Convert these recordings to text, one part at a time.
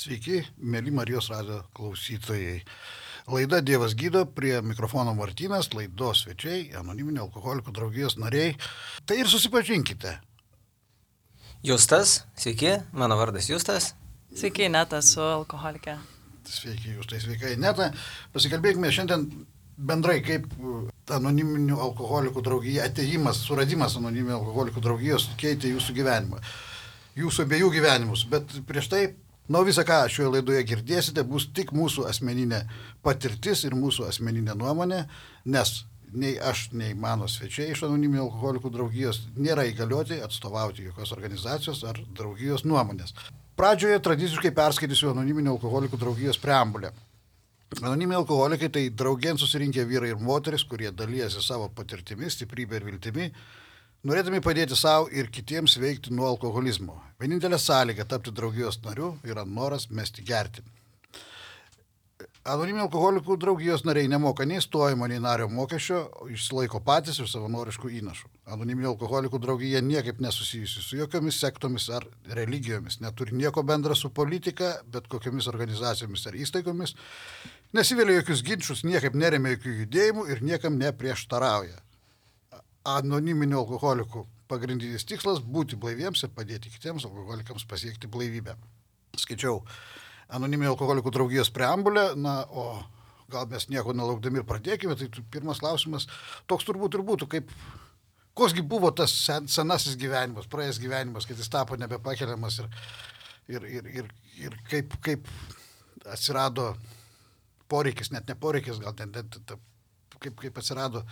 Sveiki, mėly Marijos radijo klausytojai. Laida Dievas gydo, prie mikrofono Martynas, laidos svečiai, anoniminio alkoholikų draugijos nariai. Tai ir susipažinkite. Justas, sveiki, mano vardas Justas. Sveiki, Ineta, su alkoholikė. Sveiki, Justai, sveika, Ineta. Pasikalbėkime šiandien bendrai, kaip anoniminių alkoholikų draugija, atėjimas, suradimas anoniminių alkoholikų draugijos keitė jūsų gyvenimą. Jūsų abiejų gyvenimus, bet prieš tai visą, ką šioje laidoje girdėsite, bus tik mūsų asmeninė patirtis ir mūsų asmeninė nuomonė, nes nei aš, nei mano svečiai iš anoniminių alkoholikų draugijos nėra įgalioti atstovauti jokios organizacijos ar draugijos nuomonės. Pradžioje tradiciškai perskaitysiu anoniminių alkoholikų draugijos preambulę. Anoniminiai alkoholikai tai draugėn susirinkę vyrai ir moteris, kurie dalyjasi savo patirtimi, stiprybė ir viltimi, norėdami padėti savo ir kitiems veikti nuo alkoholizmo. Vienintelė sąlyga tapti draugijos nariu yra noras mesti gerti. Anoniminių alkoholikų draugijos nariai nemoka nei stojimo, nei nario mokesčio, išsilaiko patys iš savanoriškų įnašų. Anoniminių alkoholikų draugija niekaip nesusijusi su jokiomis sektomis ar religijomis, neturi nieko bendra su politika, bet kokiamis organizacijomis ar įstaigomis, nesivėlia jokius ginčius, niekaip neremia jokių judėjimų ir niekam neprieštarauja. Anoniminių alkoholikų pagrindinis tikslas - būti blaiviems ir padėti kitiems alkoholikams pasiekti blaivybę. Skaičiau anoniminių alkoholikų draugijos preambulę, o gal mes nieko nelaukdami ir pradėkime, tai pirmas klausimas toks turbūt ir būtų, koksgi buvo tas senasis gyvenimas, praėjęs gyvenimas, kad jis tapo nebepakeliamas ir kaip atsirado poreikis, net ne poreikis, gal kaip atsirado,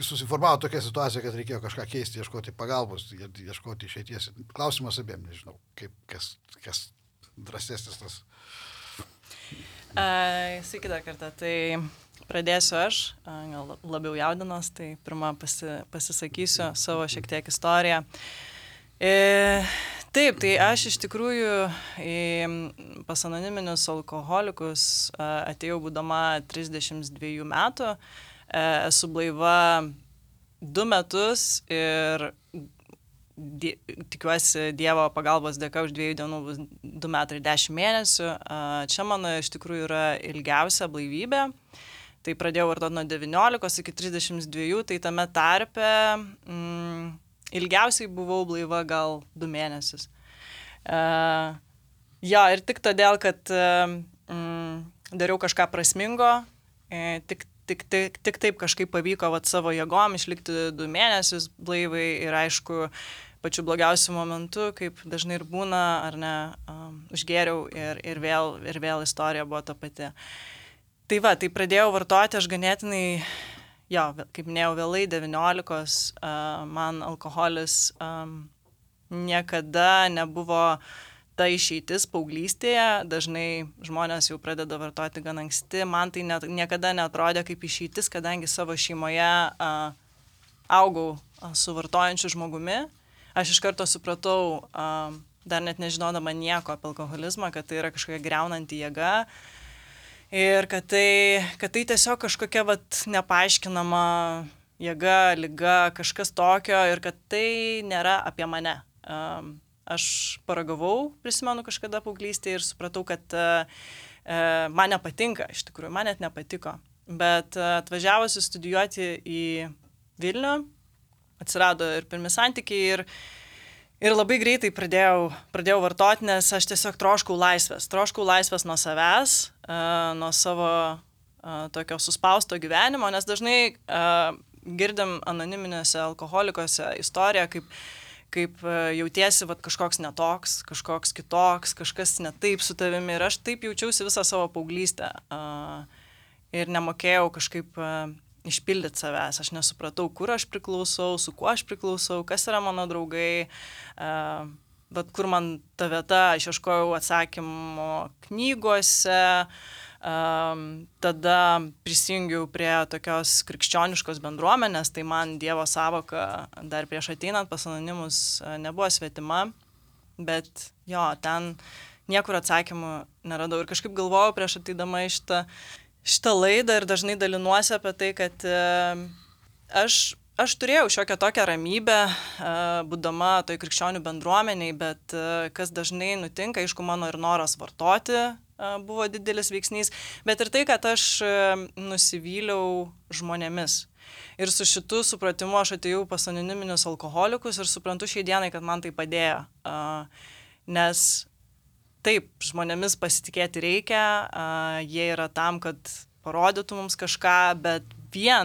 susiformavo tokia situacija, kad reikėjo kažką keisti, ieškoti pagalbos, ieškoti išeities. Klausimas abiem, nežinau, kas drąsesnis tas. Sveiki dar kartą, tai pradėsiu aš, gal labiau jaudinos, tai pirmą pasisakysiu savo šiek tiek istoriją. Taip, tai aš iš tikrųjų pas anoniminius alkoholikus atėjau būdama 32 metų. Esu blaiva 2 metus ir tikiuosi Dievo pagalbos dėka už 2 dienų bus 2 metai ir 10 mėnesių. Čia mano iš tikrųjų yra ilgiausia blaivybė. Tai pradėjau vartoti nuo 19 iki 32, tai tame tarpe ilgiausiai buvau blaiva gal 2 mėnesius. Ir tik todėl, kad dariau kažką prasmingo, tik taip kažkaip pavyko savo jėgom išlikti 2 mėnesius blaivai ir aišku, pačiu blogiausiu momentu, kaip dažnai ir būna, ar ne, užgėriau ir vėl istorija buvo ta pati. Tai pradėjau vartoti aš ganėtinai, kaip minėjau, vėlai 19, man alkoholis niekada nebuvo ta išeitis paauglystėje, dažnai žmonės jau pradeda vartoti gan anksti, man tai niekada neatrodė kaip išeitis, kadangi savo šeimoje augau su vartojančiu žmogumi. Aš iš karto supratau, dar net nežinodama nieko apie alkoholizmą, kad tai yra kažkokia griaunanti jėga ir kad tai tiesiog kažkokia nepaaiškinama jėga, liga, kažkas tokio ir kad tai nėra apie mane. Aš paragavau, prisimenu kažkada paauglystėje ir supratau, kad man nepatinka, iš tikrųjų, man net nepatiko. Bet atvažiavusi studijuoti į Vilnių, atsirado ir pirmi santykiai ir labai greitai pradėjau vartoti, nes aš tiesiog troškau laisvės nuo savęs, nuo savo tokio suspausto gyvenimo, nes dažnai girdim anoniminėse alkoholikose istoriją, kaip jautiesi kažkoks netoks, kažkoks kitoks, kažkas ne taip su tavimi. Ir aš taip jaučiausi visą savo paauglystę. Ir nemokėjau kažkaip išpildyti savęs. Aš nesupratau, kur aš priklausau, su kuo aš priklausau, kas yra mano draugai. Bet kur man ta vieta, aš ieškojau atsakymo knygose. Tada prisijungiau prie tokios krikščioniškos bendruomenės, tai man Dievo sąvoka dar prieš ateinant pas anonimus nebuvo svetima, bet ten niekur atsakymų neradau ir kažkaip galvojau prieš ateidama į šitą laidą ir dažnai dalinuosi apie tai, kad aš aš turėjau šiokią tokią ramybę, būdama toj krikščionių bendruomeniai, bet kas dažnai nutinka, aišku, mano ir noras vartoti buvo didelis veiksnys, bet ir tai, kad aš nusivyliau žmonėmis. Ir su šitu supratimu aš atėjau pas anoniminius alkoholikus ir suprantu šiai dienai, kad man tai padėjo. Nes taip, žmonėmis pasitikėti reikia, jie yra tam, kad parodytų mums kažką, bet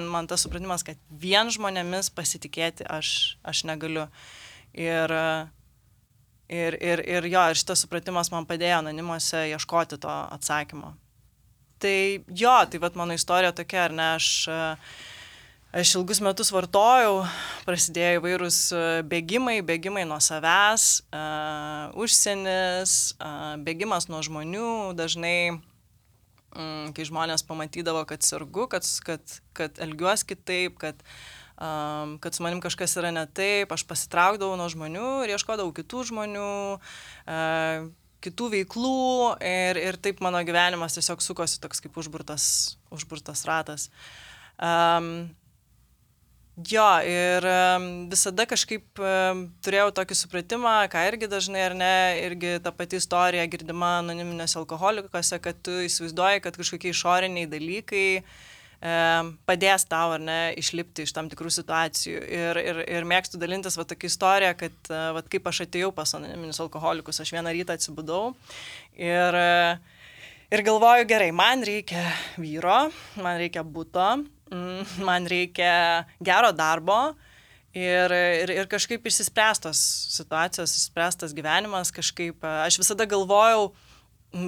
man tas supratimas, kad vien žmonėmis pasitikėti aš negaliu. Ir šitas supratimas man padėjo anonimuose ieškoti to atsakymo. Tai tai vat mano istorija tokia, ar ne, aš ilgus metus vartojau, prasidėjo įvairūs bėgimai nuo savęs, užsienis, bėgimas nuo žmonių, dažnai, kai žmonės pamatydavo, kad sergu, kad elgiuos kitaip, kad su manim kažkas yra ne taip, aš pasitraukdavau nuo žmonių ir ieškodavau kitų žmonių, kitų veiklų ir taip mano gyvenimas tiesiog sukosi toks kaip užburtas ratas. Ir visada kažkaip turėjau tokį supratimą, ką irgi dažnai ar ne, irgi ta pati istorija girdima anoniminėse alkoholikose, kad tu įsivaizduoji, kad kažkokie išoriniai dalykai padės tau ar ne išlipti iš tam tikrų situacijų. Ir mėgstu dalintis tokia istorija, kad kaip aš atėjau pas anoniminius alkoholikus, aš vieną rytą atsibudau ir galvoju, gerai, man reikia vyro, man reikia buto, man reikia gero darbo ir kažkaip išsispręstos situacijos, išspręstas gyvenimas, kažkaip aš visada galvojau,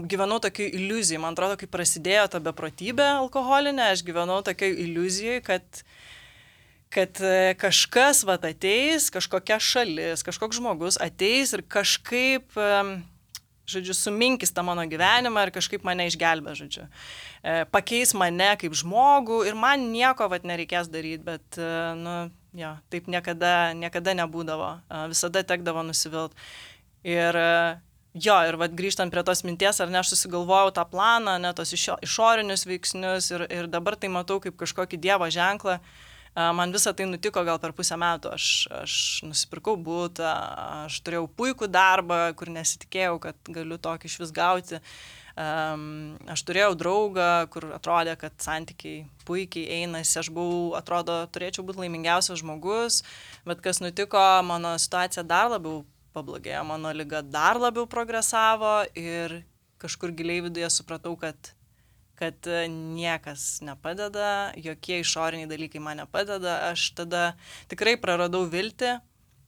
gyvenau tokiai iliuzijai, man atrodo, kai prasidėjo ta beprotybė alkoholinė, aš gyvenau tokiai iliuzijai, kad kažkas ateis, kažkokia šalis, kažkoks žmogus ateis ir kažkaip suminkis tą mano gyvenimą ir kažkaip mane išgelbė, pakeis mane kaip žmogų ir man nieko nereikės daryti, bet, taip niekada nebūdavo, visada tekdavo nusivilt. Ir grįžtant prie tos minties, ar ne, aš susigalvojau tą planą, ne, tos išorinius veiksnius ir dabar tai matau kaip kažkokį Dievo ženklą. Man visą tai nutiko gal per pusę metų. Aš nusipirkau butą, aš turėjau puikų darbą, kur nesitikėjau, kad galiu tokį iš vis gauti. Aš turėjau draugą, kur atrodė, kad santykiai puikiai einasi. Aš turėčiau būti laimingiausias žmogus, bet kas nutiko, mano situacija dar labiau pablogėjo, mano liga dar labiau progresavo ir kažkur giliai viduje supratau, kad niekas nepadeda, jokie išoriniai dalykai man nepadeda, aš tada tikrai praradau viltį,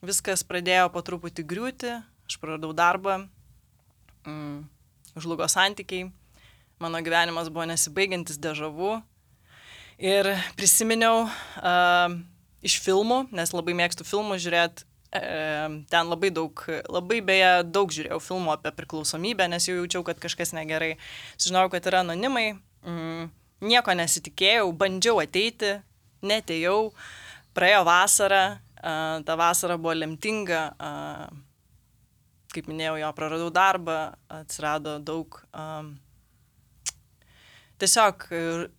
viskas pradėjo po truputį griūti, aš praradau darbą, žlugo santykiai, mano gyvenimas buvo nesibaigiantis dežavu ir prisiminiau iš filmų, nes labai mėgstu filmus žiūrėti, ten labai daug žiūrėjau filmų apie priklausomybę, nes jau jaučiau, kad kažkas negerai. Sužinojau, kad yra anonimai, nieko nesitikėjau, bandžiau ateiti, neatėjau, praėjo vasara, ta vasara buvo lemtinga, kaip minėjau, praradau darbą, atsirado daug, tiesiog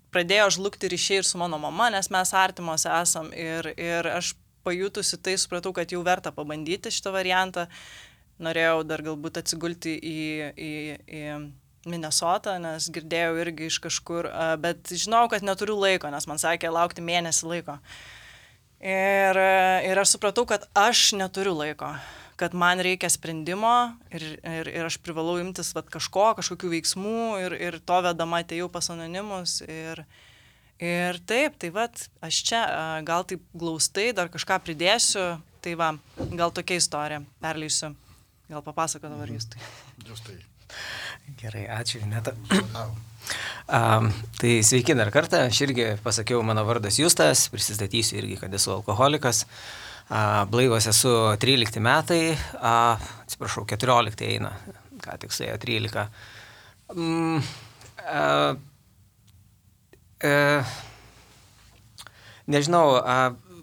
pradėjo žlugti ryšiai ir su mano mama, nes mes artimos esam ir aš pajutusi tai, supratau, kad jau verta pabandyti šitą variantą. Norėjau dar galbūt atsigulti į Minnesotą, nes girdėjau irgi iš kažkur, bet žinau, kad neturiu laiko, nes man sakė laukti mėnesį laiko. Ir aš supratau, kad aš neturiu laiko, kad man reikia sprendimo ir aš privalau imtis kažkokių veiksmų ir to vedama atėjau pas anonimus ir taip, aš čia gal taip glaustai dar kažką pridėsiu, tai gal tokia istorija, perleisiu, gal papasako dabar Justai. Justai. Gerai, ačiū, Ineta. Tai sveiki dar kartą, aš irgi pasakiau, mano vardas Justas, prisistatysiu irgi, kad esu alkoholikas, blaivas esu 13 metai, 14 eina, ką tik suėjo 13. Nežinau,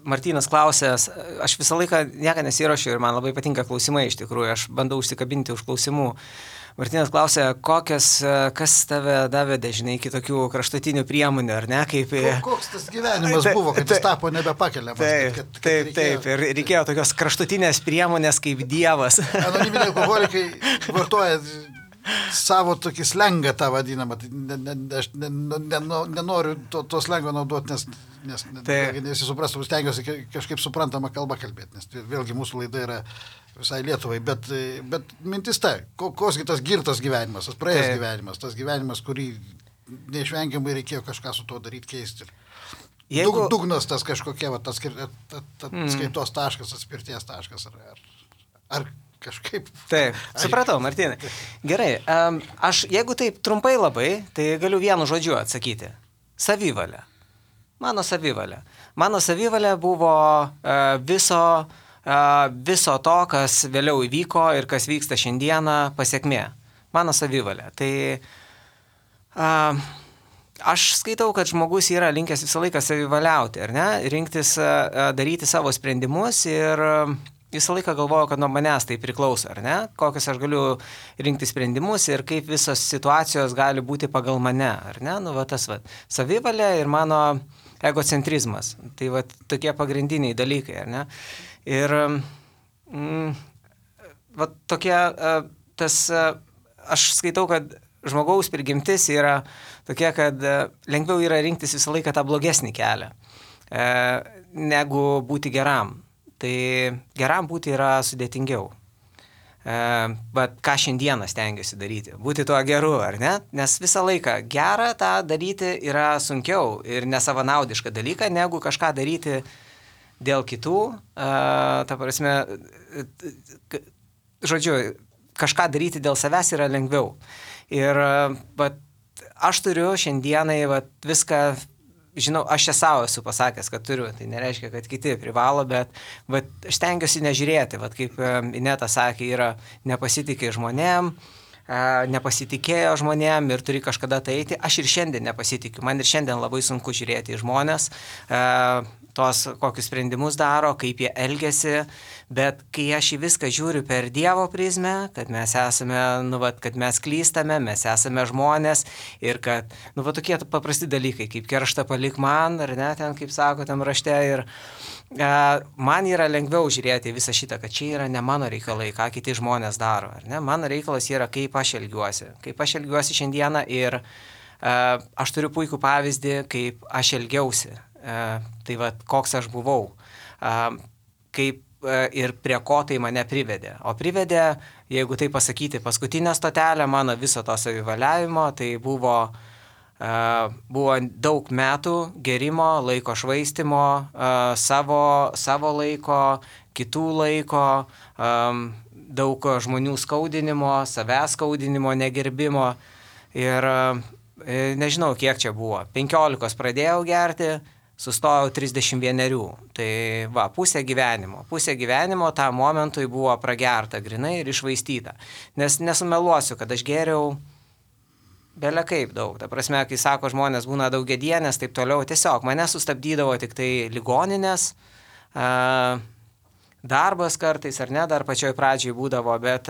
Martynas klausęs, aš visą laiką nieką nesiruošiu ir man labai patinka klausimai iš tikrųjų, aš bandau užsikabinti už klausimų. Martynas klausia, kas tave davė, žinai, iki tokių kraštutinių priemonių, ar ne? Kaip... Koks tas gyvenimas buvo, kad jis tapo nebepakeliamas? Taip. Ir reikėjo tokios kraštutinės priemonės kaip Dievas. Anoniminiai alkoholikai vartoja savo tokį slengą tą vadinamą. Aš nenoriu to slengo naudoti, nes jis suprastų, stengiuosi kažkaip suprantamą kalbą kalbėti, nes vėlgi mūsų laida yra visai Lietuvai, bet mintis tai, koksgi tas girtas gyvenimas, tas praėjęs gyvenimas, tas gyvenimas, kurį neišvengiamai reikėjo kažką su tuo daryti, keisti. Dugnas tas kažkokia, tas skaitos taškas, atspirties taškas, ar kažkaip. Taip, supratau, Martynai. Gerai, aš jeigu taip trumpai labai, tai galiu vienu žodžiu atsakyti. Savivalė. Mano savivalė buvo viso to, kas vėliau įvyko ir kas vyksta šiandieną, pasiekmė. Mano savivalė. Tai aš skaitau, kad žmogus yra linkęs visą laiką savivaliauti, ar ne? Rinktis, daryti savo sprendimus ir visą laiką galvoju, kad nuo manęs tai priklauso, ar ne? Kokius aš galiu rinkti sprendimus ir kaip visos situacijos gali būti pagal mane, ar ne? Nu, va tas, savivalė ir mano egocentrizmas. Tai va tokie pagrindiniai dalykai, ar ne? Ir va tokie, aš skaitau, kad žmogaus prigimtis yra tokia, kad lengviau yra rinktis visą laiką tą blogesnį kelią, negu būti geram. Tai geram būti yra sudėtingiau. Bet ką šiandieną stengiuosi daryti? Būti tuo geru, ar ne? Nes visą laiką gerą tą daryti yra sunkiau ir nesavanaudiška dalyka, negu kažką daryti dėl kitų. Ta prasme, žodžiu, kažką daryti dėl savęs yra lengviau. Ir aš turiu šiandienai viską... Žinau, aš čia savo esu pasakęs, kad turiu, tai nereiškia, kad kiti privalo, bet aš stengiuosi nežiūrėti, kaip Ineta sakė, yra nepasitikė žmonėm, nepasitikėjo žmonėm ir turi kažkada tai eiti. Aš ir šiandien nepasitikiu, man ir šiandien labai sunku žiūrėti į žmonės, tos kokius sprendimus daro, kaip jie elgiasi, bet kai aš į viską žiūriu per Dievo prizmę, kad mes esame, kad mes klystame, mes esame žmonės ir kad, tokie paprasti dalykai, kaip kerštą palik man, ar ne, ten, kaip sako tam rašte, ir man yra lengviau žiūrėti visą šitą, kad čia yra ne mano reikalai, ką kiti žmonės daro, ar ne, mano reikalas yra, kaip aš elgiuosi šiandieną ir aš turiu puikų pavyzdį, kaip aš elgiausi. Tai koks aš buvau, kaip ir prie ko tai mane privedė. O privedė, jeigu tai pasakyti, paskutinę stotelę mano viso to savivaliavimo, tai buvo daug metų gerimo, laiko švaistimo, savo laiko, kitų laiko, daug žmonių skaudinimo, savęs skaudinimo, negerbimo ir nežinau, kiek čia buvo. 15 pradėjau gerti, sustojau 31. Tai pusė gyvenimo tą momentui buvo pragerta grinai ir išvaistyta. Nes nesumeluosiu, kad aš geriau belė kaip daug. Ta prasme, kai sako žmonės būna daugiadienės, taip toliau, tiesiog mane sustabdydavo tik tai ligoninės, darbas kartais ar ne, dar pačioj pradžioj būdavo, bet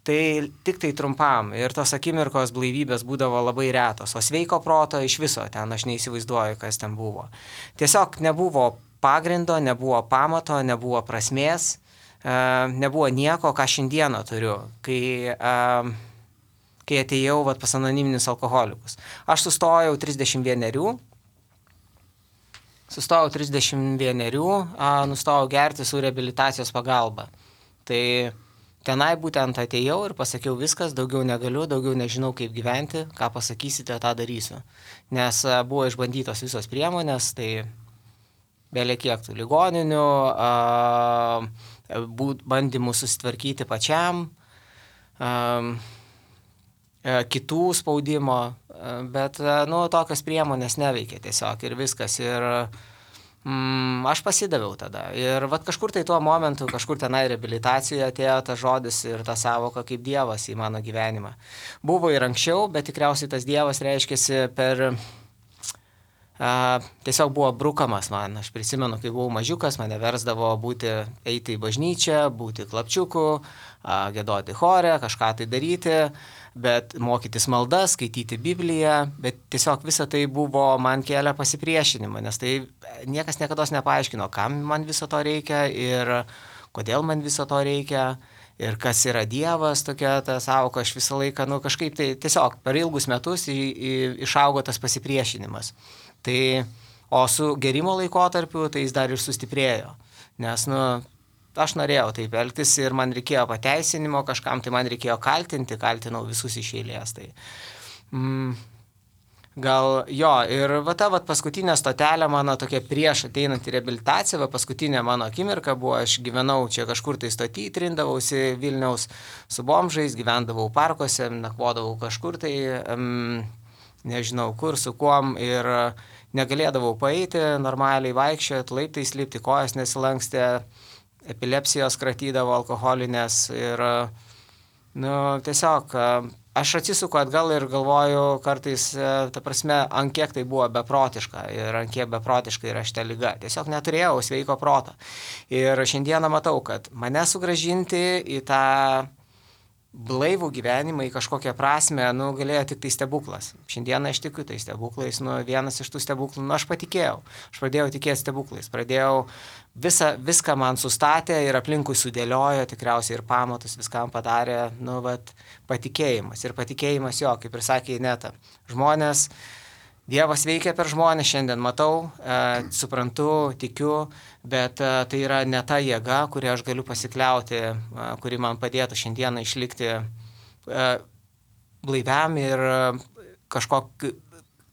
tai tik tai trumpam ir tos akimirkos blaivybės būdavo labai retos, o sveiko proto iš viso ten aš neįsivaizduoju, kas ten buvo. Tiesiog nebuvo pagrindo, nebuvo pamato, nebuvo prasmės, nebuvo nieko, ką šiandieną turiu, kai atėjau pas anoniminius alkoholikus. Aš sustojau 31, nustojau gerti su reabilitacijos pagalba. Tai tenai būtent atėjau ir pasakiau viskas, daugiau negaliu, daugiau nežinau kaip gyventi, ką pasakysite, tą darysiu. Nes buvo išbandytos visos priemonės, tai belė kiek tų ligoninių, bandymų susitvarkyti pačiam, kitų spaudimo, bet tokios priemonės neveikia tiesiog ir viskas. Ir aš pasidaviau tada. Ir kažkur tai tuo momentu, kažkur tenai reabilitacijoje atėjo tas žodis ir ta savoka kaip Dievas į mano gyvenimą. Buvo ir anksčiau, bet tikriausiai tas Dievas reiškėsi per tiesiog buvo brukamas man. Aš prisimenu, kai buvau mažiukas, mane versdavo eiti į bažnyčią, būti klapčiuku, giedoti chore, kažką tai daryti, bet mokytis maldas, skaityti Bibliją, bet tiesiog visa tai buvo man kelia pasipriešinimą, nes tai niekas niekada nepaaiškino, kam man viso to reikia ir kodėl man viso to reikia. Ir kas yra Dievas, tokia ta sąvoka, aš visą laiką, kažkaip tai tiesiog per ilgus metus išaugo tas pasipriešinimas. Tai, o su gerimo laikotarpiu, tai jis dar ir sustiprėjo, nes, aš norėjau taip elgtis ir man reikėjo pateisinimo, kažkam tai man reikėjo kaltinau visus iš eilės. Tai, gal jo, ir ta paskutinė stotelė mano tokia prieš ateinant į reabilitaciją, paskutinė mano akimirka buvo, aš gyvenau čia kažkur tai stoty, trindavausi Vilniaus su bomžais, gyvendavau parkuose, nakvodavau kažkur tai, nežinau kur, su kuom ir negalėdavau paeiti, normaliai vaikščioti, laiptais lipti, kojas nesilankstė, epilepsijos kratydavo alkoholinės ir, tiesiog aš atsisuku atgal ir galvoju kartais, ta prasme, ant kiek tai buvo beprotiška ir ant kiek beprotiška yra šita liga. Tiesiog neturėjau sveiko proto. Ir šiandieną matau, kad mane sugrąžinti į tą blaivų gyvenimą, į kažkokią prasme, galėjo tik tai stebuklas. Šiandieną aš tikiu tai stebuklais, vienas iš tų stebuklų, aš patikėjau. Aš pradėjau tikėti stebuklais, viską man sustatė ir aplinkui sudėliojo, tikriausiai ir pamatus viskam padarė, patikėjimas. Ir patikėjimas jo, kaip ir sakė Ineta, žmonės, Dievas veikia per žmonės, šiandien matau, suprantu, tikiu, bet tai yra ne ta jėga, kurią aš galiu pasikliauti, kuri man padėtų šiandieną išlikti blaiviam ir kažkokiu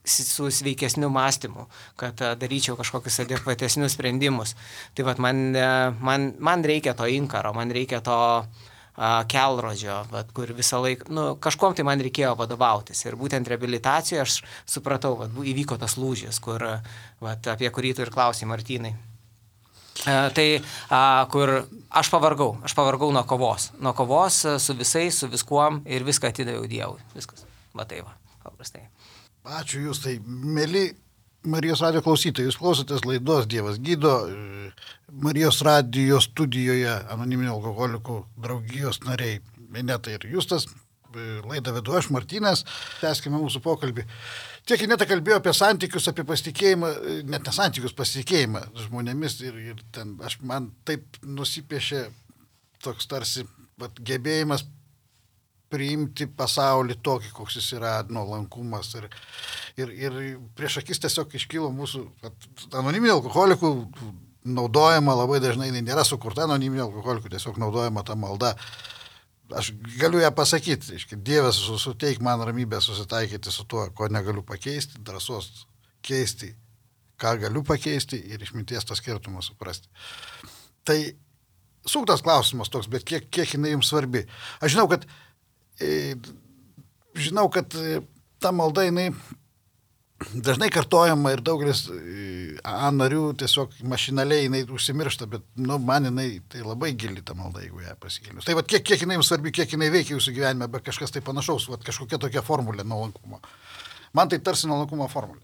su sveikesniu mąstymu, kad daryčiau kažkokius adekvatesnius sprendimus. Tai man reikia to inkaro, man reikia to kelrodžio, kur visą laiką, kažkom tai man reikėjo vadovautis. Ir būtent reabilitacijoje aš supratau, įvyko tas lūžis, apie kurį tu ir klausai, Martynai. Kur aš pavargau nuo kovos su visais, su viskuom ir viską atidaviau Dievui. Viskas. Paprastai. Ačiū jūs, tai mėly Marijos radijo klausytojai, jūs klausotės laidos Dievas gydo. Marijos radijo studijoje anoniminių alkoholikų draugijos nariai Ineta ir Justas. Laidą vedu aš, Martynas. Tęskime mūsų pokalbį. Tiek Ineta kalbėjo apie santykius, apie pasitikėjimą, net nesantykius, pasitikėjimą žmonėmis ir ten man taip nusipiešė toks tarsi gebėjimas priimti pasaulį tokį, koks jis yra, nuolankumas. Ir prieš akis tiesiog iškilo mūsų anoniminių alkoholikų naudojama, labai dažnai nėra sukurta anoniminių alkoholikų, tiesiog naudojama ta malda. Aš galiu ją pasakyti, Dievas suteik man ramybę susitaikyti su tuo, ko negaliu pakeisti, drąsos keisti, ką galiu pakeisti ir išminties tą skirtumą suprasti. Tai suktas klausimas toks, bet kiek jinai jums svarbi. Aš žinau, kad ta malda jinai dažnai kartojama ir daugelis narių tiesiog mašinaliai jinai užsimiršta, bet man jinai tai labai gili ta malda, jeigu ją pasigilinius. Tai kiek jinai jums svarbi, kiek jinai veikia jūsų gyvenime, bet kažkas tai panašaus, kažkokia tokia formulė nuolankumo. Man tai tarsi nuolankumo formulė.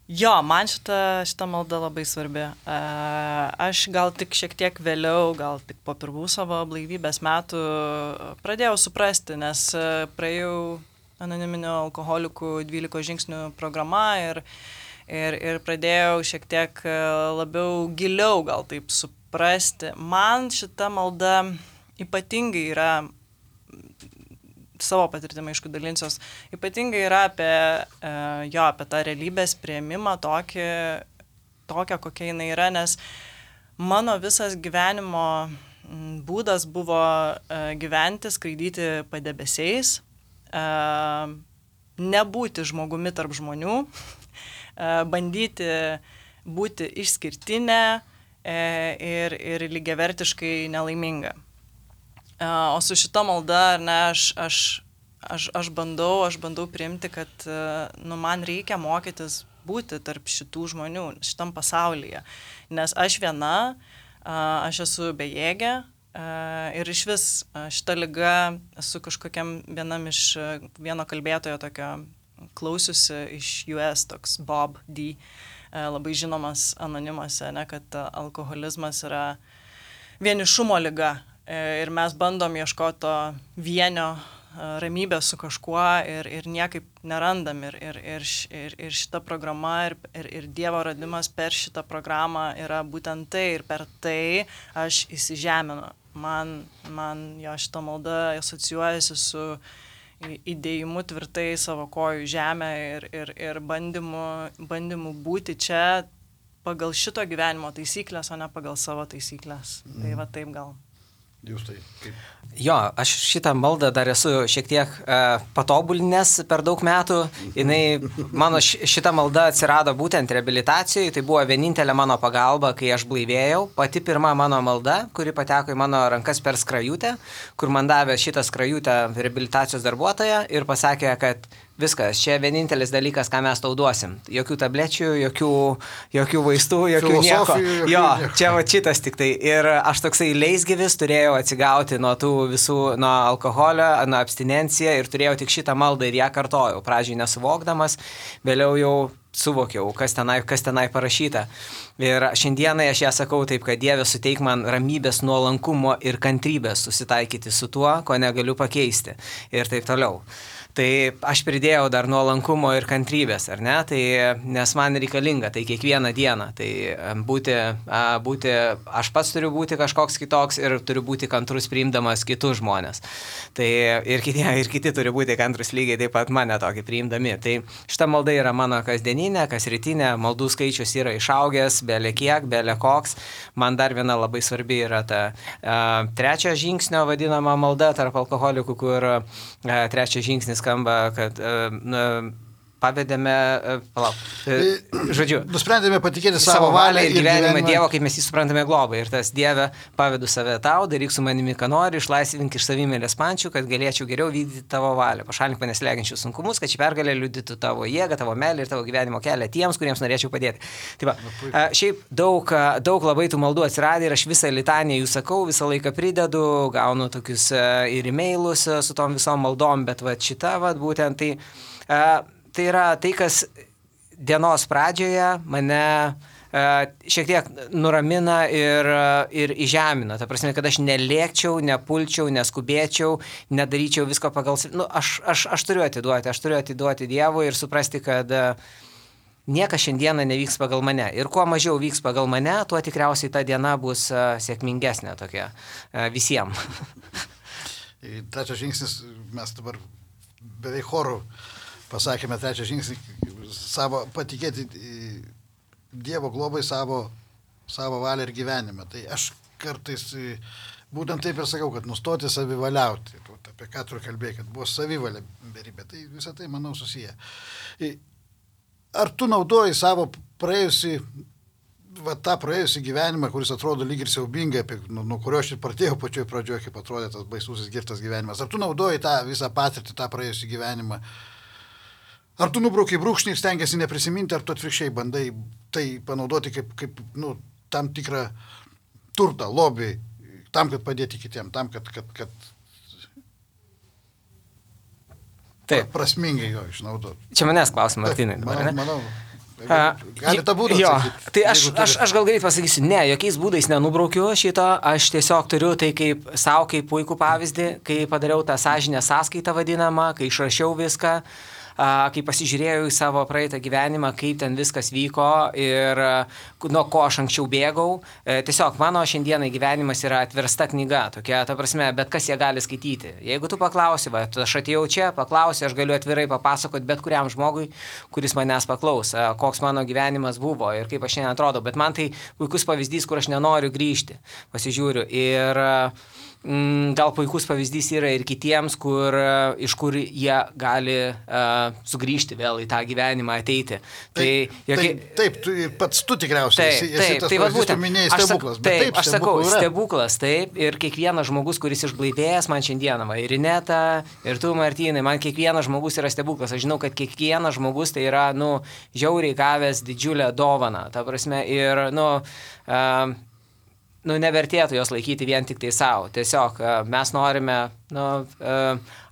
Jo, man šita malda labai svarbi. Aš gal tik šiek tiek vėliau, gal tik po pirmų savo blaivybės metų pradėjau suprasti, nes praėjau anoniminių alkoholikų 12 žingsnių programa ir pradėjau šiek tiek labiau giliau gal taip suprasti. Man šita malda ypatingai yra, savo patirtimą aišku dalinsiuos, ypatingai yra apie tą realybės priėmimą tokią, kokia jinai yra, nes mano visas gyvenimo būdas buvo gyventi, skraidyti padebesiais, nebūti žmogumi tarp žmonių, bandyti būti išskirtinė ir lygiavertiškai nelaiminga. O su šita malda, aš bandau priimti, kad man reikia mokytis būti tarp šitų žmonių, šitam pasaulyje. Nes aš viena, aš esu bejėgė ir iš vis šita liga esu kažkokiam vieno kalbėtojo tokio klausiusi iš US toks Bob D, labai žinomas anonimuose, ne, kad alkoholizmas yra vienišumo liga ir mes bandom ieškoti to vienio ramybės su kažkuo ir niekaip nerandam. Ir šita programa ir Dievo radimas per šitą programą yra būtent tai ir per tai aš įsižeminu. Man jo šita malda asocijuojasi su įdėjimu tvirtai savo kojų žemę ir bandymu būti čia pagal šito gyvenimo taisyklės, o ne pagal savo taisyklės. Tai va taip gal. Jūs tai kaip? Jo, aš šitą maldą dar esu šiek tiek patobulinęs per daug metų. Mano šita malda atsirado būtent reabilitacijoje, tai buvo vienintelė mano pagalba, kai aš blaivėjau. Pati pirma mano malda, kuri pateko į mano rankas per skrajutę, kur man davė šitą skrajutę reabilitacijos darbuotoja ir pasakė, kad viskas, čia vienintelis dalykas, ką mes tau duosim. Jokių tablečių, jokių vaistų, jokių nieko. Jo, čia va šitas tik tai. Ir aš toksai leisgyvis turėjau atsigauti nuo tų visų, nuo alkoholio, nuo abstinenciją ir turėjau tik šitą maldą ir ją kartojau. Pradžiai nesuvokdamas, vėliau jau suvokiau, kas tenai parašyta. Ir šiandienai aš ją sakau taip, kad Dieve suteik man ramybės, nuolankumo ir kantrybės susitaikyti su tuo, ko negaliu pakeisti. Ir taip toliau. Tai aš pridėjau dar nuolankumo ir kantrybės, ar ne? Tai, nes man reikalinga tai kiekvieną dieną. Tai aš pats turiu būti kažkoks kitoks ir turiu būti kantrus priimdamas kitus žmonės. Tai ir kiti turi būti kantrus lygiai taip pat mane tokį priimdami. Tai šita malda yra mano kasdieninė, kasrytinė, maldų skaičius yra išaugęs, bele kiek, bele koks. Man dar viena labai svarbi yra ta trečio žingsnio vadinama malda tarp alkoholikų, kur trečias žingsnis skamba, kad pavedėme, nusprendėme patikėti savo valią ir gyvenimą Dievo, kaip mes jį suprantame globą. Ir tas Dieve, pavedu save tau, daryk su manimi, ką nori, išlaisvink iš savimėlės pančių, kad galėčiau geriau vykdyti tavo valią. Pašalink mane slegiančius sunkumus, kad ši pergalė liudytų tavo jėgą, tavo meilę ir tavo gyvenimo kelią tiems, kuriems norėčiau padėti. Tai va, šiaip daug labai tų maldų atsiradė ir aš visą litaniją jų sakau, visą laiką pridedu, gaunu tokius ir e-mailus su tom visom maldom, bet va šita, va būtent tai yra tai, kas dienos pradžioje mane šiek tiek nuramina ir įžemina. Ta prasme, kad aš nelėkčiau, nepulčiau, neskubėčiau, nedaryčiau visko pagal... Aš turiu atiduoti Dievui ir suprasti, kad niekas šiandieną nevyks pagal mane. Ir kuo mažiau vyks pagal mane, tuo tikriausiai ta diena bus sėkmingesnė tokia visiems. Trečias žingsnis, mes dabar beveik chorų pasakėme trečią žingsnį, patikėti Dievo globai savo valią ir gyvenimą. Tai aš kartais būtent taip ir sakau, kad nustoti savivaliauti. Apie ką tu kalbėjai, kad buvo savivalė beribė. Tai visą tai, manau, susiję. Ar tu naudoji savo praėjusį gyvenimą, kuris atrodo lyg ir siaubingai, nuo kurio aš ir pradėjau pačioj pradžioje, kaip atrodė tas baisusis girtas gyvenimas. Ar tu naudoji tą visą patirtį, tą praėjusį gyvenimą? Ar tu nubraukiai brūkšnį ir stengiasi neprisiminti, ar tu atvirkščiai bandai tai panaudoti kaip tam tikrą turtą, lobį, tam, kad padėti kitiem, tam, kad prasmingai jo išnaudoti. Čia manęs klausim, Martynai. Manau. Gali tą būdą atsakyti. Tai aš gal greit pasakysiu, ne, jokiais būdais nenubraukiu šito, aš tiesiog turiu tai kaip savo, kaip puikų pavyzdį, kai padariau tą sąžinę sąskaitą vadinamą, kai išrašiau viską, kai pasižiūrėjau į savo praeitą gyvenimą, kaip ten viskas vyko ir nuo ko aš anksčiau bėgau. Tiesiog mano šiandienai gyvenimas yra atversta knyga, tokia, ta prasme, bet kas ją gali skaityti. Jeigu tu paklausi, aš atėjau čia, paklausi, aš galiu atvirai papasakoti bet kuriam žmogui, kuris manęs paklaus, koks mano gyvenimas buvo ir kaip aš šiandien atrodo, bet man tai puikus pavyzdys, kur aš nenoriu grįžti, pasižiūriu. Ir gal puikus pavyzdys yra ir kitiems, iš kur jie gali sugrįžti vėl į tą gyvenimą, ateiti. Taip, pats tu tikriausiai esi tas pavyzdys, tu minėjai stebuklas. Taip, aš sakau, stebuklas, taip, ir kiekvienas žmogus, kuris išblaivėjęs man šiandieną, ir Ineta, ir tu, Martynai, man kiekvienas žmogus yra stebuklas. Aš žinau, kad kiekvienas žmogus tai yra, žiauriai gavęs didžiulę dovaną. Ta prasme, ir, nevertėtų jos laikyti vien tik tai savo. Tiesiog mes norime,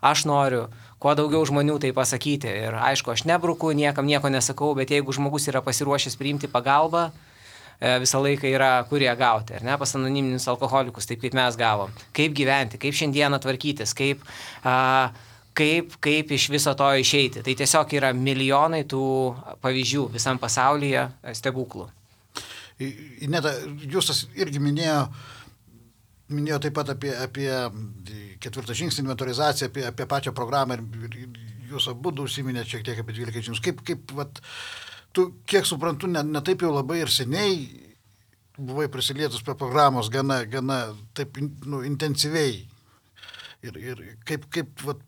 aš noriu kuo daugiau žmonių tai pasakyti. Ir aišku, aš nebruku, niekam nieko nesakau, bet jeigu žmogus yra pasiruošęs priimti pagalbą, visą laiką yra kur ją gauti, ar ne, pas anoniminius alkoholikus, taip kaip mes gavom. Kaip gyventi, kaip šiandieną tvarkytis, kaip iš viso to išeiti. Tai tiesiog yra milijonai tų pavyzdžių visam pasaulyje stebuklų. Ineta, Justas irgi minėjo taip pat apie ketvirtą žingsnį inventorizaciją, apie pačią programą ir jūs abu užsiminėte šiek tiek apie 12 žingsnius. Kaip vat, tu, kiek suprantu, ne taip jau labai ir seniai buvai prisilietus prie programos gana taip intensyviai. Ir kaip vat,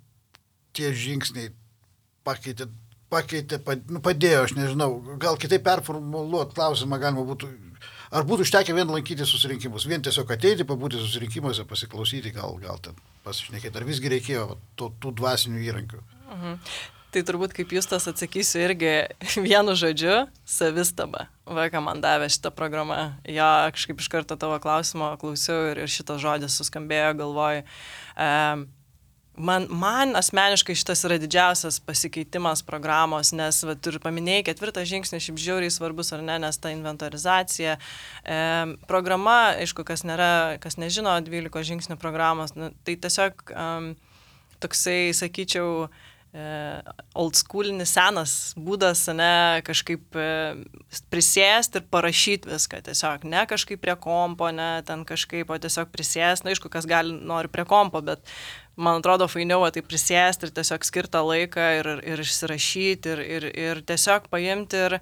tie žingsniai pakeitė, padėjo, aš nežinau, gal kitaip performuluoti klausimą galima būtų, ar būtų užtekę vien lankyti susirinkimus, vien tiesiog ateiti, pabūti susirinkimuose, pasiklausyti, gal ten pasišnekėti, ar visgi reikėjo tų dvasinių įrankių. Tai turbūt kaip Justas atsakysiu irgi vienu žodžiu - savistaba. Ką man davė šitą programą. Jo, kažkaip iš karto tavo klausimo klausiau ir šitas žodis suskambėjo galvoj. Man asmeniškai šitas yra didžiausias pasikeitimas programos, nes tu ir paminėjai, ketvirtą žingsnį šiaip žiauriai svarbus ar ne, nes ta inventorizacija. Programa, aišku, kas nežino 12 žingsnių programos, tai tiesiog toksai, sakyčiau, oldschoolinis senas būdas, ne, kažkaip prisėsti ir parašyti viską, tiesiog ne kažkaip prie kompo, ne ten kažkaip, o tiesiog prisėsti, aišku, kas nori prie kompo, bet man atrodo fainiau, tai prisėsti ir tiesiog skirtą laiką ir išsirašyti ir tiesiog paimti ir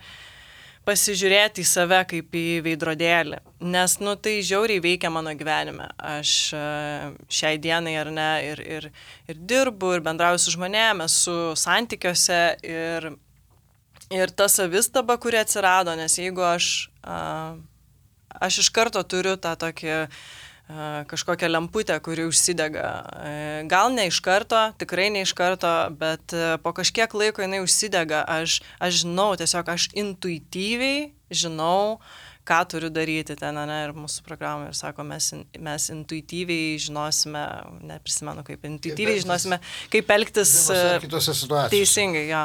pasižiūrėti į save kaip į veidrodėlį, nes, tai žiauriai veikia mano gyvenime. Aš šiai dienai, ar ne, ir dirbu, ir bendrauju su žmonėmis, esu santykiuose ir ta savistaba, kuri atsirado, nes jeigu aš iš karto turiu tą tokį kažkokią lemputę, kuri užsidega. Gal ne iš karto, tikrai ne iš karto, bet po kažkiek laiko jinai užsidega. Aš žinau, tiesiog aš intuityviai žinau, ką turiu daryti ten, ne, ir mūsų programai, ir sako, mes intuityviai žinosime, neprisimenu kaip, intuityviai žinosime, kaip elgtis kitose situacijose. Teisingai, jo.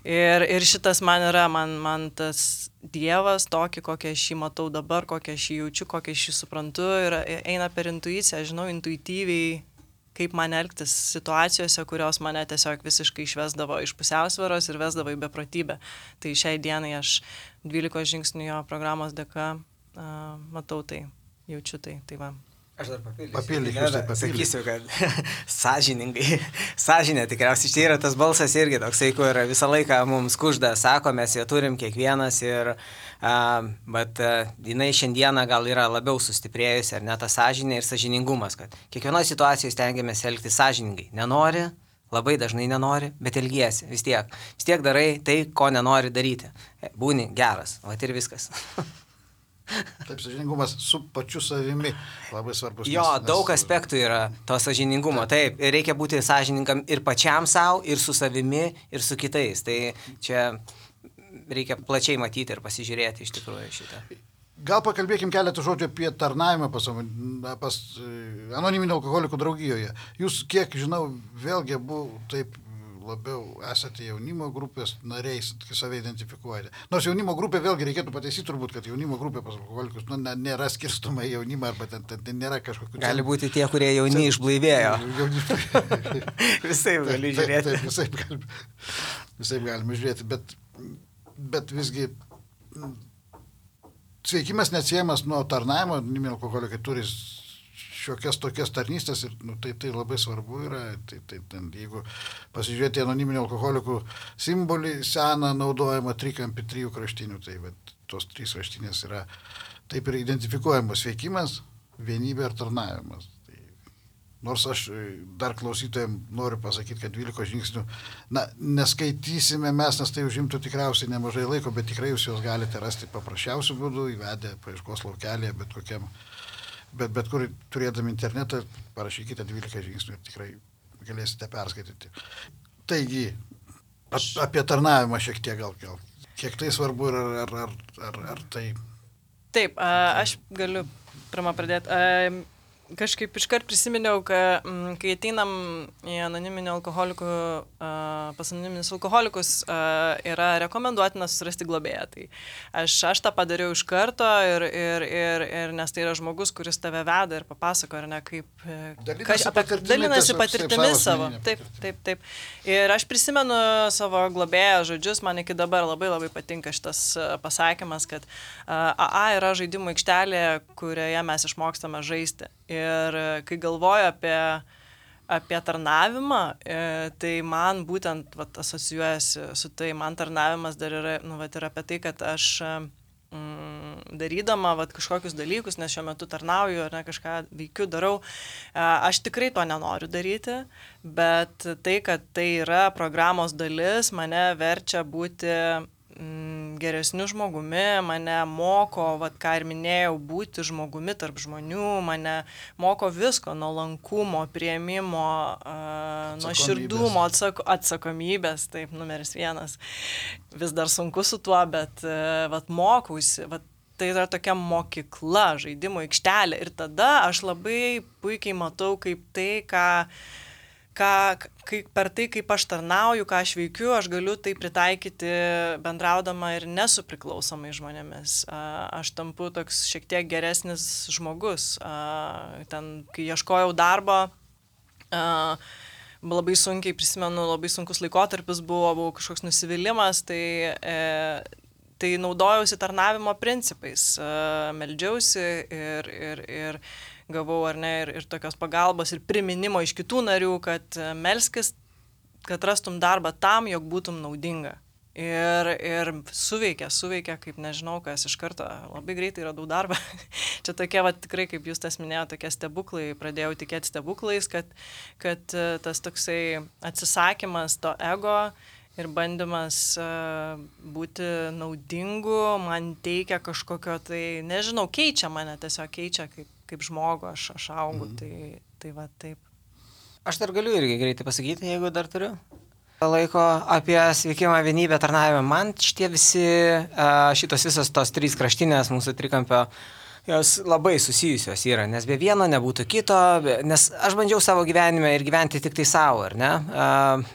Ir šitas man yra, man tas Dievas tokį, kokią aš jį matau dabar, kokią aš jį jaučiu, kokią aš jį suprantu, ir eina per intuiciją, žinau intuityviai, kaip man elgtis situacijose, kurios mane tiesiog visiškai išvesdavo iš pusiausvyros ir vesdavo į beprotybę. Tai šiai dienai aš 12 žingsnių jo programos dėka matau tai, jaučiu tai va. Aš dar papildysiu. Sakysiu, kad sąžinė tikriausiai čia yra tas balsas irgi toksai, kur visą laiką mums kužda, sako, mes jo turim kiekvienas, bet jinai šiandieną gal yra labiau sustiprėjusi, ar ne ta sąžinė ir sąžiningumas, kad kiekvienoje situacijoje stengiamės elgtis sąžiningai. Nenori, labai dažnai nenori, bet elgiesi vis tiek darai tai, ko nenori daryti. Būni geras, va ir viskas. Taip, sąžiningumas su pačiu savimi labai svarbus. Jo, daug aspektų yra to sąžiningumo. Taip, reikia būti sąžiningam ir pačiam savo, ir su savimi, ir su kitais. Tai čia reikia plačiai matyti ir pasižiūrėti iš tikrųjų šitą. Gal pakalbėkim keletą žodžių apie tarnavimą pas anoniminio alkoholikų draugijoje. Jūs, kiek žinau, vėlgi taip labiau esate jaunimo grupės nariais, save identifikuojate. Nors jaunimo grupė, vėlgi reikėtų pataisyti turbūt, kad jaunimo grupė pas alkoholikus nėra skirstoma į jaunimą, arba ten nėra kažkokių... Gali būti tie, kurie jauni išblaivėjo. Visaip gali žiūrėti. Taip, visaip galime žiūrėti, bet visgi sveikimas neatsiejamas nuo tarnavimo, anoniminiai alkoholikai turi šiokias tokias tarnystės ir tai labai svarbu yra. Jeigu pasižiūrėti anoniminių alkoholikų simbolį, seną naudojimą trikampį 3 kraštinių, tai tos 3 kraštinės yra taip ir identifikuojamos: sveikimas, vienybė ir tarnavimas. Nors aš dar klausytojams noriu pasakyti, kad 12 žingsnių neskaitysime mes, nes tai užimtų tikriausiai nemažai laiko, bet tikrai jūs juos galite rasti paprasčiausių būdų, įvedę paieškos laukelėje, bet kur turėdami internetą, parašykite 12 žingsnių ir tikrai galėsite perskaityti. Taigi, apie tarnavimą šiek tiek gal. Kiek tai svarbu ir ar tai... Taip, aš galiu pirmą pradėti. Kažkaip iškart prisiminiau, kai ateinam į anoniminių alkoholikų, pas anoniminius alkoholikus, yra rekomenduotina susirasti globėją. Tai aš tą padariau iš karto ir nes tai yra žmogus, kuris tave veda ir papasako, ar ne, kaip dalinasi patirtimis savo. Taip. Ir aš prisimenu savo globėją žodžius, man iki dabar labai patinka šitas pasakymas, kad AA yra žaidimų aikštelė, kurioje mes išmokstame žaisti. Ir kai galvoju apie tarnavimą, tai man būtent asocijuojasi su tai, man tarnavimas dar yra, ir apie tai, kad aš darydama kažkokius dalykus, nes šiuo metu tarnauju ar ne, kažką veikiu, darau, aš tikrai to nenoriu daryti, bet tai, kad tai yra programos dalis, mane verčia būti geresniu žmogumi, mane moko, ką ir minėjau, būti žmogumi tarp žmonių, mane moko visko, nuolankumo, priėmimo, nuoširdumo, atsakomybės, taip, numeris 1. Vis dar sunku su tuo, bet mokausi, tai yra tokia mokykla, žaidimų aikštelė. Ir tada aš labai puikiai matau, kaip tai, per tai, kaip aš tarnauju, ką aš veikiu, aš galiu tai pritaikyti bendraudama ir nesupriklausomai žmonėmis. Aš tampu toks šiek tiek geresnis žmogus. Ten, kai ieškojau darbo, labai sunkiai prisimenu, labai sunkus laikotarpis buvo kažkoks nusivylimas, tai naudojausi tarnavimo principais. Meldžiausi ir gavau, ar ne, ir tokios pagalbos, ir priminimo iš kitų narių, kad melskis, kad rastum darbą tam, jog būtum naudinga. Ir suveikia, kaip nežinau, kas iš karto labai greitai radau darbą. Čia tokie, tikrai, kaip jūs tas minėjote, tokie stebuklai, pradėjau tikėti stebuklais, kad tas toksai atsisakymas to ego ir bandymas būti naudingu man teikia kažkokio, tai nežinau, keičia mane, tiesiog keičia kaip žmogų, aš augu, tai va taip. Aš dar galiu irgi greitai pasakyti, jeigu dar turiu laiko, apie sveikimą, vienybę, tarnavimą. Man šitos visos tos 3 kraštinės mūsų trikampio, jos labai susijusios yra, nes be vieno nebūtų kito, nes aš bandžiau savo gyvenime ir gyventi tik tai savo, ar ne?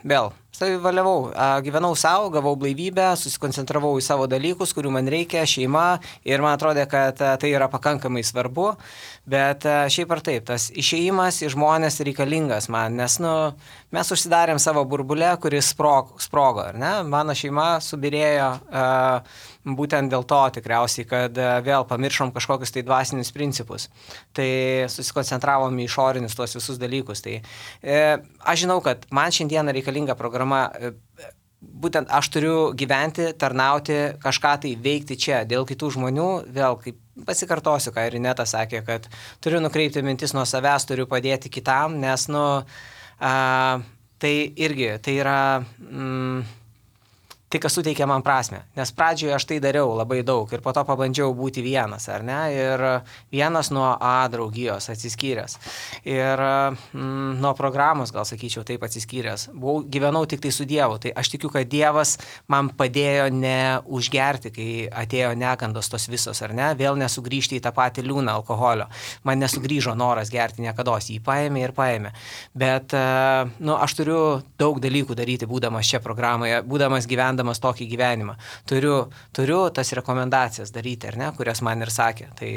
Vėl, savivaliavau, gyvenau savo, gavau blaivybę, susikoncentravau į savo dalykus, kurių man reikia, šeima, ir man atrodė, kad tai yra pakankamai svarbu, bet šiaip ar taip, tas išėjimas į žmonės reikalingas man, nes mes užsidarėm savo burbulę, kuris sprogo, ar ne? Mano šeima subirėjo būtent dėl to tikriausiai, kad vėl pamiršom kažkokius tai dvasinius principus. Tai susikoncentravom į išorinius tuos visus dalykus. Tai aš žinau, kad man šiandieną reikalinga programa, būtent aš turiu gyventi, tarnauti, kažką tai veikti čia dėl kitų žmonių. Vėl, kaip pasikartosiu, ką ir Ineta sakė, kad turiu nukreipti mintis nuo savęs, turiu padėti kitam, nes tai irgi, tai yra tai, kas suteikia man prasmę. Nes pradžioje aš tai dariau labai daug ir po to pabandžiau būti vienas, ar ne? Ir vienas nuo A draugijos atsiskyręs. Ir nuo programos, gal sakyčiau, taip atsiskyręs. Gyvenau tik tai su Dievu. Tai aš tikiu, kad Dievas man padėjo neužgerti, kai atėjo negandos tos visos, ar ne? Vėl nesugrįžti į tą patį liūną alkoholio. Man nesugrįžo noras gerti niekados. Jį paėmė ir paėmė. Bet aš turiu daug dalykų daryti, būdamas čia programoje, būdamas gyvendamas tokį gyvenimą. Turiu tas rekomendacijas daryti, ar ne, kurias man ir sakė. Tai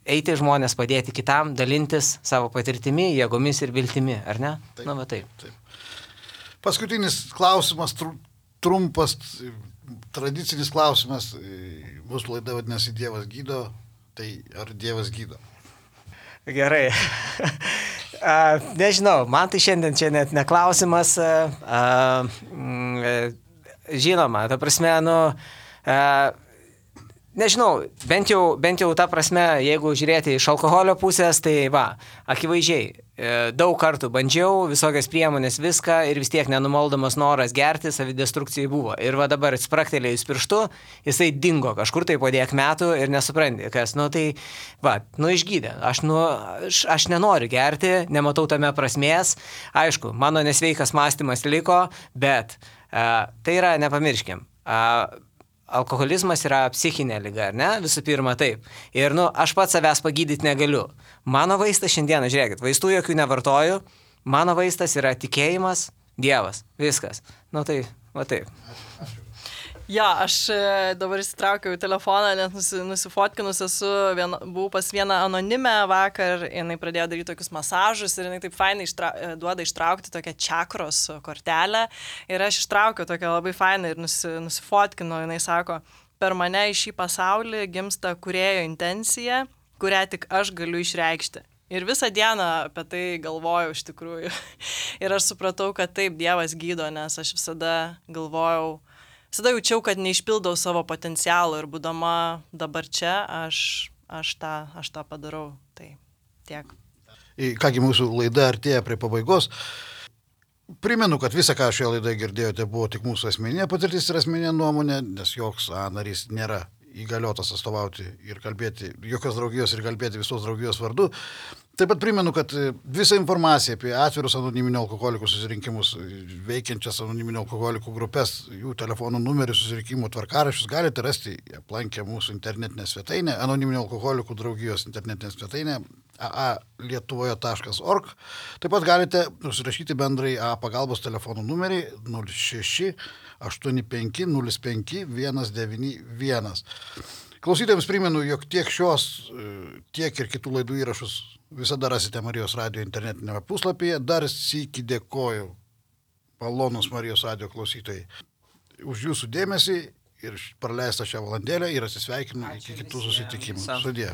eiti žmonės, padėti kitam, dalintis savo patirtimi, jėgomis ir viltimi, ar ne? Taip, taip. Paskutinis klausimas, trumpas, tradicinis klausimas. Mūsų laida vadinasi Dievas gydo, tai ar Dievas gydo? Gerai. Nežinau, man tai šiandien čia net neklausimas. Žinoma, ta prasme, nežinau, bent jau ta prasme, jeigu žiūrėti iš alkoholio pusės, tai akivaizdžiai, daug kartų bandžiau, visokias priemonės, viską ir vis tiek nenumaldomas noras gerti, savidestrukcijai buvo. Ir dabar spraktelėjus pirštu, jisai dingo kažkur tai po 10 metų ir nesupranti, kas, išgydė. Aš nenoriu gerti, nematau tame prasmės. Aišku, mano nesveikas mąstymas liko, bet tai yra, nepamirškim. alkoholizmas yra psichinė liga, ar ne? Visų pirma, taip. Ir, aš pats savęs pagydyti negaliu. Mano vaistas šiandieną, žiūrėkit, vaistų jokių nevartoju, mano vaistas yra tikėjimas, Dievas, viskas. Tai, va taip. Jo, aš dabar įsitraukiau telefoną, nes nusifotkinus buvau pas vieną anonimę vakar, jinai pradėjo daryti tokius masažus ir jinai taip fainai duoda ištraukti tokią čakros kortelę ir aš ištraukiau tokią labai fainą ir nusifotkinu, jinai sako, per mane į šį pasaulį gimsta kūrėjo intencija, kurią tik aš galiu išreikšti. Ir visą dieną apie tai galvojau iš tikrųjų. Ir aš supratau, kad taip, Dievas gydo, nes aš visada galvojau, visada jaučiau, kad neišpildau savo potencialo ir būdama dabar čia, aš tą padarau. Tai tiek. Kągi, mūsų laida artėja prie pabaigos. Primenu, kad visą, ką šioje laidoje girdėjote, buvo tik mūsų asmeninė patirtis ir asmeninė nuomonė, nes joks narys nėra įgaliotas atstovauti ir kalbėti jokios draugijos ir kalbėti visos draugijos vardu. Taip pat primenu, kad visą informaciją apie atvirus anoniminio alkoholikų susirinkimus, veikiančias anoniminio alkoholikų grupės, jų telefonų numerių, susirinkimų tvarkaraščius galite rasti aplankę mūsų internetinę svetainę, anoniminio alkoholikų draugijos internetinę svetainę aalietuvoje.org. Taip pat galite užsirašyti bendrai pagalbos telefonų numerį 06 85 05 191. Klausytojams primenu, jog tiek šios, tiek ir kitų laidų įrašus visada rasite Marijos radijo internetinėme puslapyje. Dar sykį dėkoju, malonus Marijos radijo klausytojai, už jūsų dėmesį ir praleistą šią valandėlę ir atsisveikinu iki kitų susitikimų. Sudie.